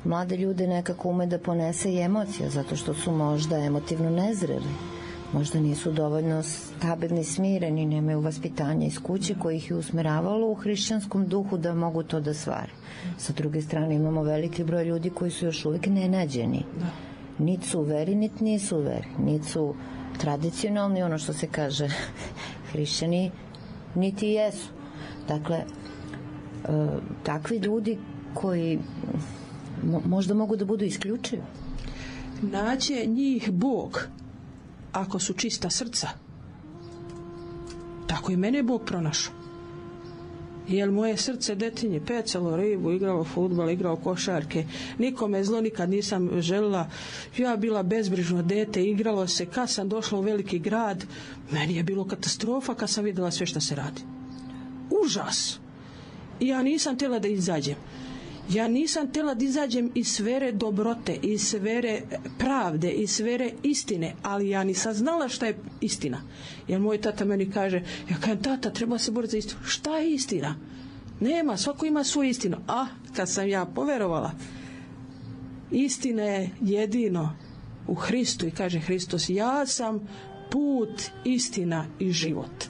Mlade ljude nekako ume da ponese i emocija, zato što su možda emotivno nezreli, možda nisu dovoljno stabilni, smireni, nemaju vaspitanja iz kuće koji ih je usmeravalo u hrišćanskom duhu da mogu to da stvari. Sa druge strane imamo veliki broj ljudi koji su još uvijek nenađeni. Niti su u veri, niti nisu u veri, niti su tradicionalni, ono što se kaže hrišćani, niti jesu. Dakle, takvi ljudi koji možda mogu da budu isključivi. Naće njih Bog ako su čista srca. Tako i mene Bog pronašao. Jer moje srce detinje pecalo ribu, igralo fudbal, igralo košarke, nikome zlo nikad nisam želila, ja bila bezbrižno dete, igralo se, kad sam došla u veliki grad, meni je bilo katastrofa kad sam vidjela sve što se radi. Užas. I ja nisam htjela da izađem. Ja nisam htjela da izađem iz sfere dobrote, iz sfere pravde, iz sfere istine, ali ja nisam znala šta je istina. Jer moj tata meni kaže, ja kažem, tata, treba se boriti za istinu. Šta je istina? Nema, svako ima svoju istinu. A kad sam ja poverovala, istina je jedino u Hristu i kaže Hristos, ja sam put, istina i život.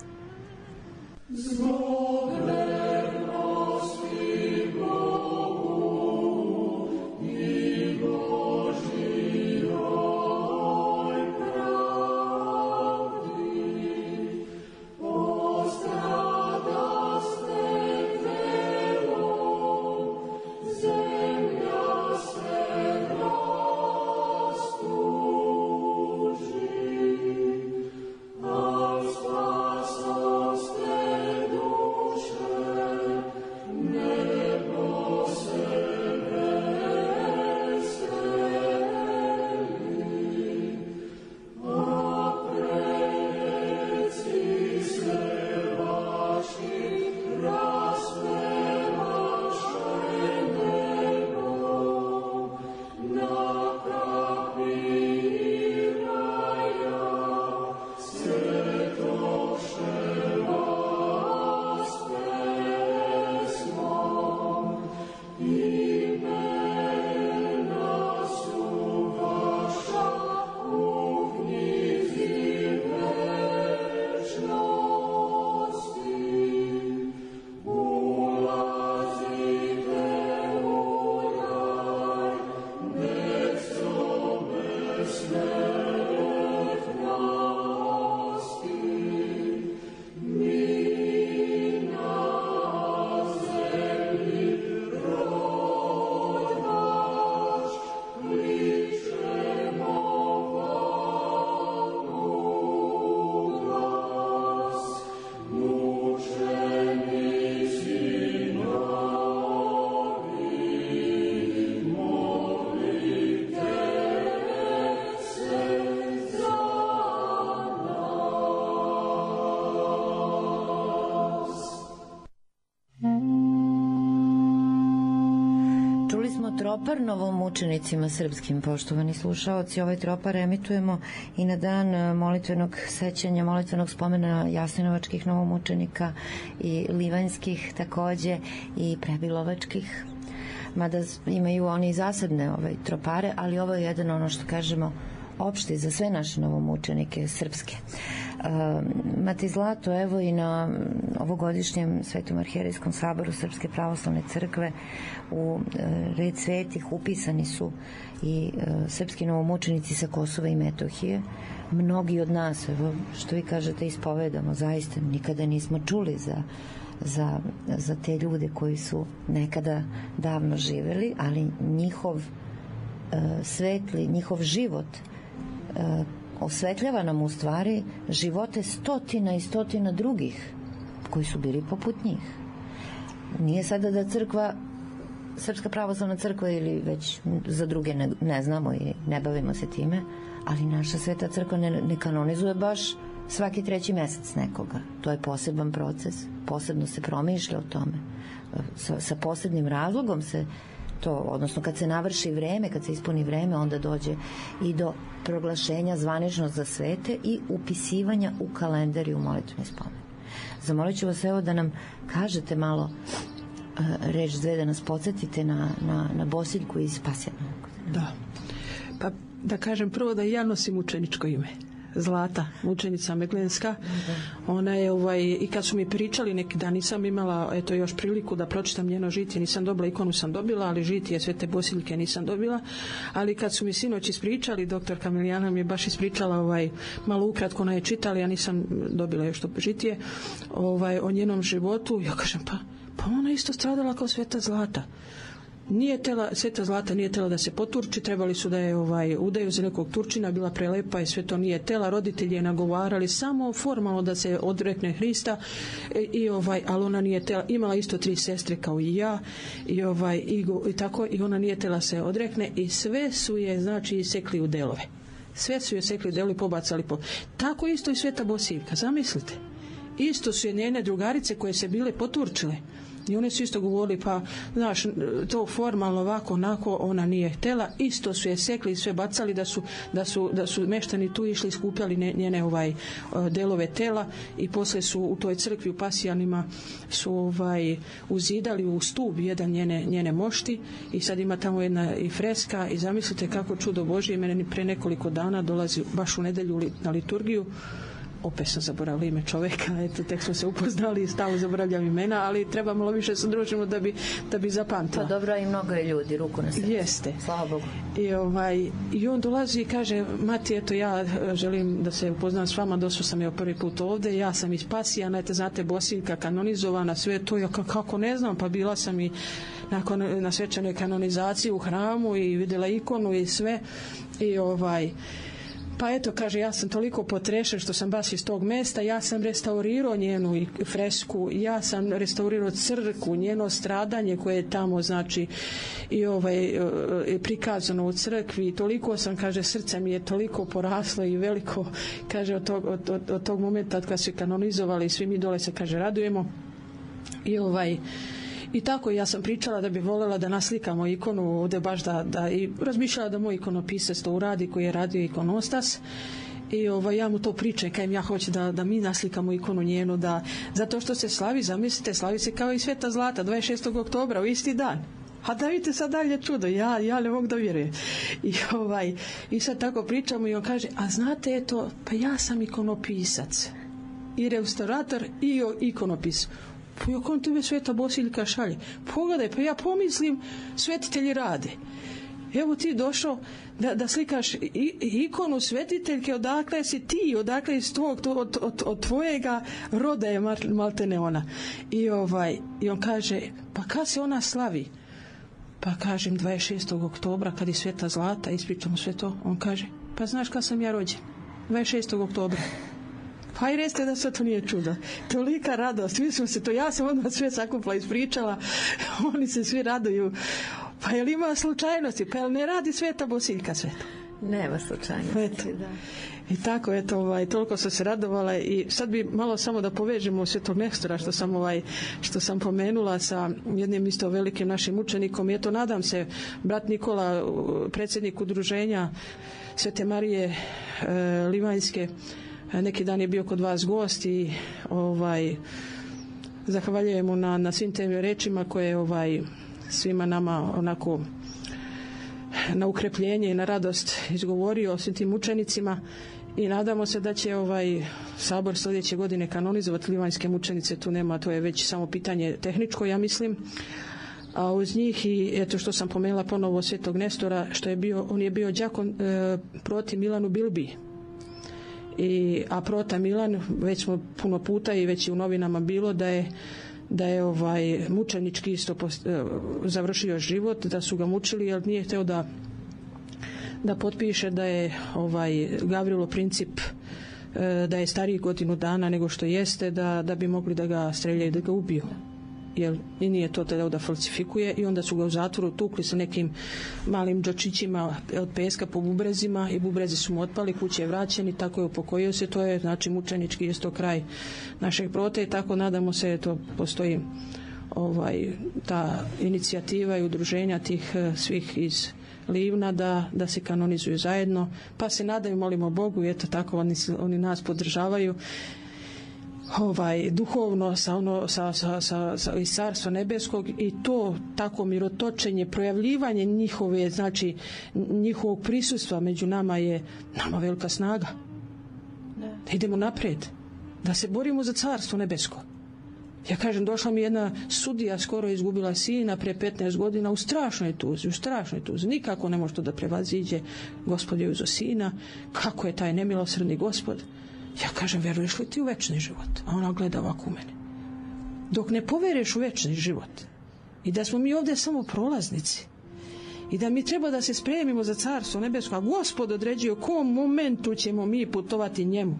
tropar novomučenicima srpskim, poštovani slušaoci. Ovaj tropar emitujemo i na dan molitvenog sećanja, molitvenog spomena jasenovačkih novomučenika i livanjskih takođe i prebilovačkih, mada imaju oni zasebne tropare, ali ovo je jedan, ono što kažemo, opšti za sve naše novomučenike srpske. Mati Zlato, evo i na ovogodišnjem Svetom arhijerejskom saboru Srpske pravoslavne crkve u red svetih upisani su i srpski novomučenici sa Kosova i Metohije. Mnogi od nas, evo što vi kažete, ispovedamo, zaista nikada nismo čuli za te ljude koji su nekada davno živeli, ali njihov svetli, njihov život osvetljava nam u stvari živote stotina i stotina drugih koji su bili poput njih. Nije sada da crkva, Srpska pravoslavna crkva ili već za druge ne znamo i ne bavimo se time, ali naša sveta crkva ne kanonizuje baš svaki 3. mesec nekoga. To je poseban proces, posebno se promišlja o tome. Sa posebnim razlogom se to, odnosno kad se navrši vreme, kad se ispuni vreme, onda dođe i do proglašenja zvanično za svete i upisivanja u kalendar i u molitveni spomen. Zamolit ću vas evo da nam kažete malo reč dve, da nas podsjetite na Bosiljku iz Spasjanovog. Da. Pa da kažem prvo da ja nosim učeničko ime. Zlata, učenica Meglenska. Ona je i kad su mi pričali neki dan, nisam imala još priliku da pročitam njeno žitije, nisam dobila, ikonu sam dobila, ali žitije Svete Bosiljke nisam dobila, ali kad su mi sinoć ispričali, doktor Kamilijana mi je baš ispričala malo ukratko, ona je čitala, ja nisam dobila još to žitije o njenom životu. Ja kažem, pa ona isto stradala kao Sveta Zlata. Sveta Zlata nije tela da se poturči, trebali su da je udaju za nekog Turčina, bila prelepa i sve to nije tela, roditelji je nagovarali samo formalno da se odrekne Hrista ali ona nije tela, imala isto 3 sestre kao i ja i tako, i ona nije tela se odrekne i sve su je sekli u delove, sve su je sekli u delove i pobacali tako isto i Sveta Bosiljka, zamislite, isto su je njene drugarice koje se bile poturčile i one su isto govorili, pa znaš, to formalno ovako, onako, ona nije htela, isto su je sekli i sve bacali, da su meštani tu išli, skupljali njene delove tela i posle su u toj crkvi u Pasijanima su uzidali u stub jedan njene mošti i sad ima tamo jedna i freska i zamislite kako čudo Božje, mene pre nekoliko dana dolazi baš u nedelju na liturgiju, opet sam zaboravila ime čoveka, eto, tek smo se upoznali i stalno zaboravljam imena, ali treba malo više se družimo da bi zapamtila. Pa dobro, i mnogo je ljudi, ruku na srce. Jeste. Slava Bogu. I on dolazi i kaže, mati, eto, ja želim da se upoznam s vama, došao sam prvi put ovde, ja sam iz Pasijana, eto, znate, Bosiljka kanonizovana, sve to, ja kako ne znam, pa bila sam i na svečanoj kanonizaciji u hramu i vidjela ikonu i sve i pa eto, kaže, ja sam toliko potrešen što sam baš iz tog mesta, ja sam restaurirao njenu fresku, ja sam restaurirao crkvu, njeno stradanje koje je tamo, znači, i prikazano u crkvi, toliko sam, kaže, srce mi je toliko poraslo i veliko, kaže, od tog momenta kad su kanonizovali, svi mi dole se, kaže, radujemo i tako ja sam pričala da bi voljela da naslikamo ikonu ovde baš da i razmišljala da moj ikonopisac to uradi koji je radio ikonostas i ja mu to pričam, kajem ja hoću da mi naslikamo ikonu njenu, zato što se slavi, zamislite, slavi se kao i Sveta Zlata 26. oktobra u isti dan. A da vidite sad dalje čudo, ja ne mogu da vjerujem. I sad tako pričamo i on kaže, a znate, eto, pa ja sam ikonopisac i restaurator i ikonopis. Pa ja kom tebe Sveta Bosiljka šalje? Pogledaj, pa ja pomislim, svetitelji rade. Evo ti došao da slikaš ikonu svetiteljke, odakle si ti, odakle iz od tvojega roda je maltene ona. I on kaže, pa kad se ona slavi? Pa kažem 26. oktobra kad je Sveta Zlata, ispričamo sve to. On kaže, pa znaš kad sam ja rođen? 26. oktobra. Pa i recite da sve to nije čudo. Tolika radost, mi smo se to, ja sam odmah sve sakupla ispričala, oni se svi raduju. Pa je li ima slučajnosti? Pa je li ne radi Sveta Bosiljka sve to? Nema slučajnosti, da. I tako, eto, toliko sam se radovala i sad bi malo samo da povežemo Svetog Nestora što sam pomenula sa jednim isto velikim našim učenikom. I eto, nadam se, brat Nikola, predsjednik udruženja Svete Marije Livanjske, neki dan je bio kod vas gost i zahvaljujemo na svim tim rečima koje svima nama onako na ukrepljenje i na radost izgovorio o svim tim učenicima i nadamo se da će sabor sljedeće godine kanonizovati livanjske mučenice. Tu nema, to je već samo pitanje tehničko, ja mislim. A uz njih i eto što sam pomenula ponovo Svetog Nestora, on je bio đakon proti Milanu Bilbi. A prota Milan, već smo puno puta i već je u novinama bilo da je mučenički isto završio život, da su ga mučili jer nije hteo da potpiše da je Gavrilo Princip da je stariji godinu dana nego što jeste, da bi mogli da ga streljaju, da ga ubiju. Jer i nije to da falsifikuje i onda su ga u zatvoru tukli sa nekim malim džočićima od peska po bubrezima i bubrezi su mu otpali, kuće je vraćen i tako je upokojio se. To je znači mučenički isto kraj našeg prota i tako nadamo se, to postoji ta inicijativa i udruženja tih svih iz Livna da se kanonizuju zajedno, pa se nadaju, molimo Bogu i eto tako oni nas podržavaju duhovno iz Carstva nebeskog i to tako mirotočenje, projavljivanje njihovog prisustva među nama je nama velika snaga. Da idemo naprijed, da se borimo za Carstvo nebesko. Ja kažem, došla mi jedna sudija, skoro izgubila sina pre 15 godina u strašnoj tuzi. Nikako ne može to da prevaziđe. Gospod je uzeo sina. Kako je taj nemilosrdni Gospod? Ja kažem, veruješ li ti u večni život? A ona gleda ovako u mene. Dok ne poveruješ u večni život i da smo mi ovdje samo prolaznici i da mi treba da se spremimo za Carstvo nebesko, a Gospod određuje u kom momentu ćemo mi putovati njemu.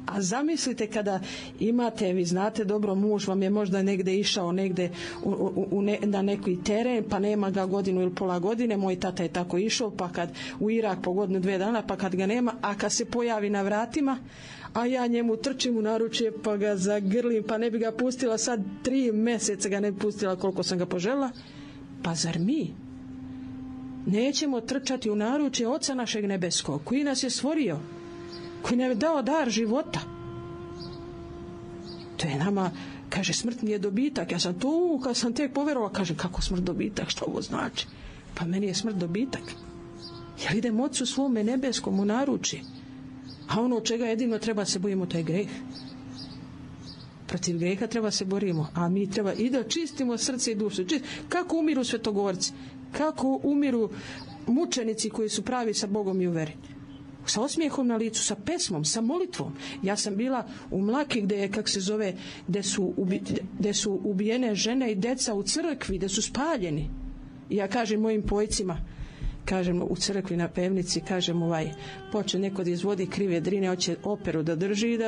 A zamislite kada imate, vi znate dobro, muž vam je možda negde išao na neki teren, pa nema ga godinu ili pola godine, moj tata je tako išao, pa kad u Irak po godinu 2 dana, pa kad ga nema, a kad se pojavi na vratima, a ja njemu trčim u naručje pa ga zagrlim, pa ne bi ga pustila sad 3 meseca ga ne bi pustila koliko sam ga požela. Pa zar mi nećemo trčati u naručje Oca našeg nebeskog koji nas je stvorio, koji nam je dao dar života? To je nama, kaže, smrt mi je dobitak. Ja sam tu, kad sam tek poverovala, kažem, kako smrt dobitak, što ovo znači? Pa meni je smrt dobitak. Jer idem Ocu svome nebeskom u naručje. A ono od čega jedino treba se bojimo, to je greh. Protiv greha treba se borimo, a mi treba i da čistimo srce i dušu. Kako umiru svetogorci? Kako umiru mučenici koji su pravi sa Bogom i u veri? Sa osmijehom na licu, sa pesmom, sa molitvom. Ja sam bila u Mlaki gde su ubijene žene i deca u crkvi, gde su spaljeni. I ja kažem mojim pojcima, kažem u crkvi na pevnici, kažem poče neko da izvodi krive drine, hoće operu da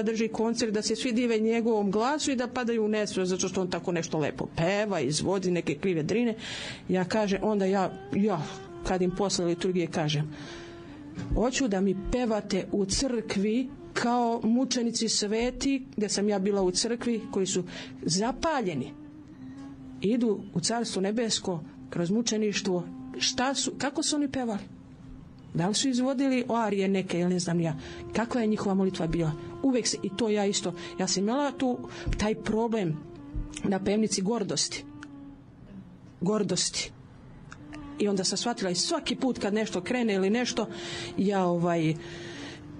drži koncert, da se svi dive njegovom glasu i da padaju u nesvijest zato što on tako nešto lepo peva, izvodi neke krive drine. Ja kažem, onda ja kad im posle liturgije kažem, hoću da mi pevate u crkvi kao mučenici sveti, gdje sam ja bila u crkvi, koji su zapaljeni, idu u Carstvo nebesko kroz mučeništvo. Kako su oni pevali? Da li su izvodili arije neke ili ne znam ja? Kakva je njihova molitva bila? Uvek se, i to ja isto, ja sam imala tu taj problem na pevnici gordosti. I onda sam shvatila i svaki put kad nešto krene ili nešto,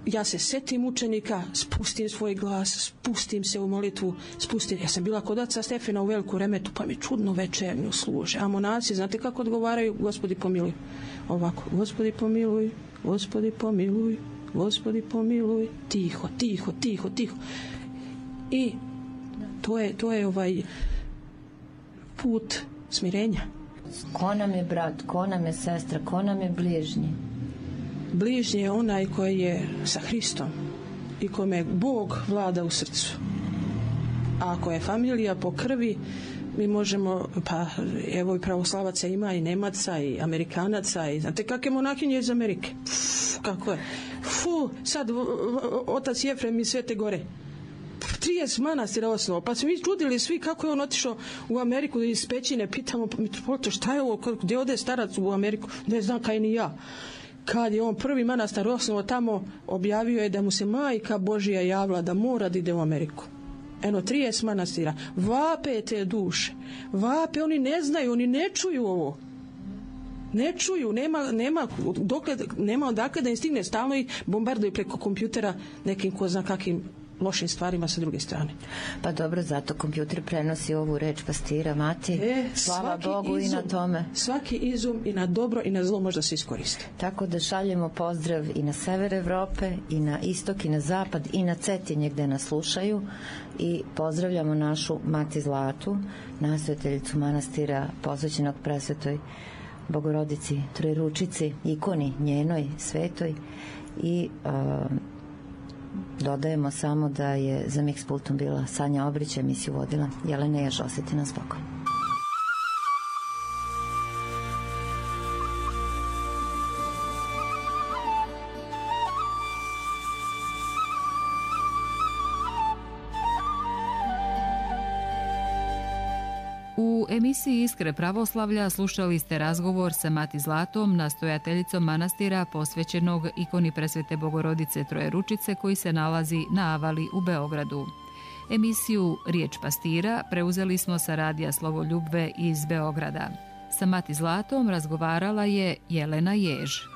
ja se setim učenika, spustim svoj glas, spustim se u molitvu, ja sam bila kod oca Stefana u Veliku Remetu, pa mi čudno večernju služe. A monaci, znate kako odgovaraju? Gospodi pomiluj. Ovako, Gospodi pomiluj, Gospodi pomiluj, Gospodi pomiluj, tiho. I to je put smirenja. Ko nam je brat, ko nam je sestra, ko nam je bližnji? Bližnji je onaj koji je sa Hristom i kome Bog vlada u srcu. A ako je familija po krvi, mi možemo, pa evo i pravoslavaca ima, i Nemaca, i Amerikanaca, i znate kakve monahinje iz Amerike. Kako je? Sad otac Jefrem iz Svete Gore. 30 manastira osnovao, pa smo mi čudili svi kako je on otišao u Ameriku iz pećine, pitamo, mitropolita, šta je ovo, gdje ode starac u Ameriku? Ne znam kaj ni ja. Kad je on prvi manastar osnovao tamo, objavio je da mu se Majka Božija javila da mora da ide u Ameriku. 30 manastira. Vape te duše. Vape, oni ne znaju, oni ne čuju ovo. Ne čuju, nema odakle da im stigne, stalno ih bombarduju preko kompjutera nekim ko zna kakvim lošim stvarima sa druge strane. Pa dobro, zato kompjuter prenosi ovu reč pastira, Mati. Slava Bogu i na tome. Svaki izum i na dobro i na zlo možda se iskoristi. Tako da šaljemo pozdrav i na sever Evrope, i na istok, i na zapad, i na Cetinje gde nas slušaju, i pozdravljamo našu Mati Zlatu, nastojateljicu manastira posvećenog presvetoj Bogorodici Trojeručici, ikoni njenoj svetoj, i dodajemo samo da je za Mix pultom bila Sanja Obrić, emisiju vodila Jelena Jež. Osjeti nas Bogom. U emisiji Iskre pravoslavlja slušali ste razgovor sa Mati Zlatom, nastojateljicom manastira posvećenog ikoni presvete Bogorodice Trojeručice koji se nalazi na Avali u Beogradu. Emisiju Riječ pastira preuzeli smo sa radija Slovoljubve iz Beograda. Sa Mati Zlatom razgovarala je Jelena Jež.